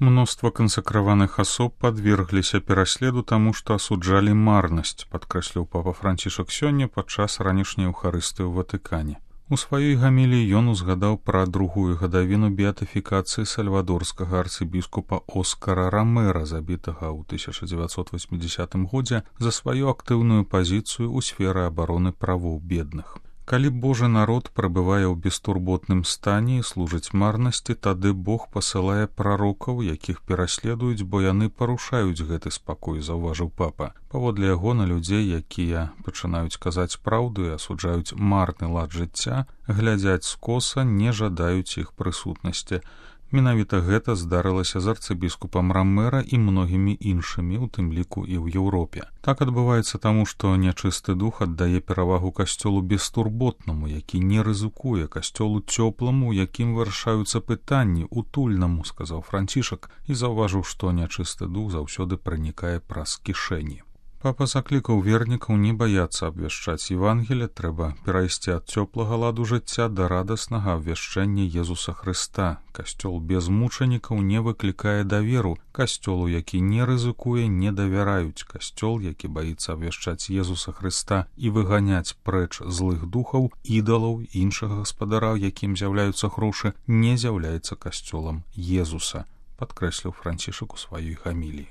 Мноства кансакраваных асоб падвергліся пераследу таму, што асуджалі марнасць, падкрэсліў папа Францішак сёння падчас ранішняй эўхарыстыі ў Ватыкане. У сваёй гаміліі ён узгадаў пра другую гадавіну беатыфікацыі сальвадорскага арцыбіскупа Оскара Ромера, забітага ў 1980 годзе за сваю актыўную пазіцыю ў сферы абароны правоў бедных. Калі Божы народ прабывае ў бестурботным стане і служыць марнасці, тады Бог пасылае прарокаў, якіх пераследуюць, бо яны парушаюць гэты спакой, заўважыў папа. Паводле яго, на людзей, якія пачынаюць казаць праўду і асуджаюць марны лад жыцця, глядзяць скоса, не жадаюць іх прысутнасці. Менавіта гэта здарылася з арцыбіскупам Ромера і многімі іншымі, у тым ліку і ў Еўропе. Так адбываецца таму, што нячысты дух аддае перавагу касцёлу бестурботнаму, які не рызыкуе, касцёлу цёпламу, у якім вырашаюцца пытанні, утульнаму, сказаў Францішак, і заўважыў, што нячысты дух заўсёды пранікае праз кішэні. Папа заклікаў вернікаў не баяцца абвяшчаць Евангелие, трэба перайсці ад цёплага ладу жыцця да радаснага абвяшчэння Езуса Хрыста. Касцёл без мучанікаў не выклікае даверу, касцёлу, які не рызыкуе, не давяраюць. Касцёл, які баіцца абвяшчаць Езуса Хрыста і выганяць прэч злых духаў, ідалаў, іншага гаспадара, якім з'яўляюцца грошы, не з'яўляецца касцёлам Езуса, падкрэсліў Францішак у сваёй гаміліі.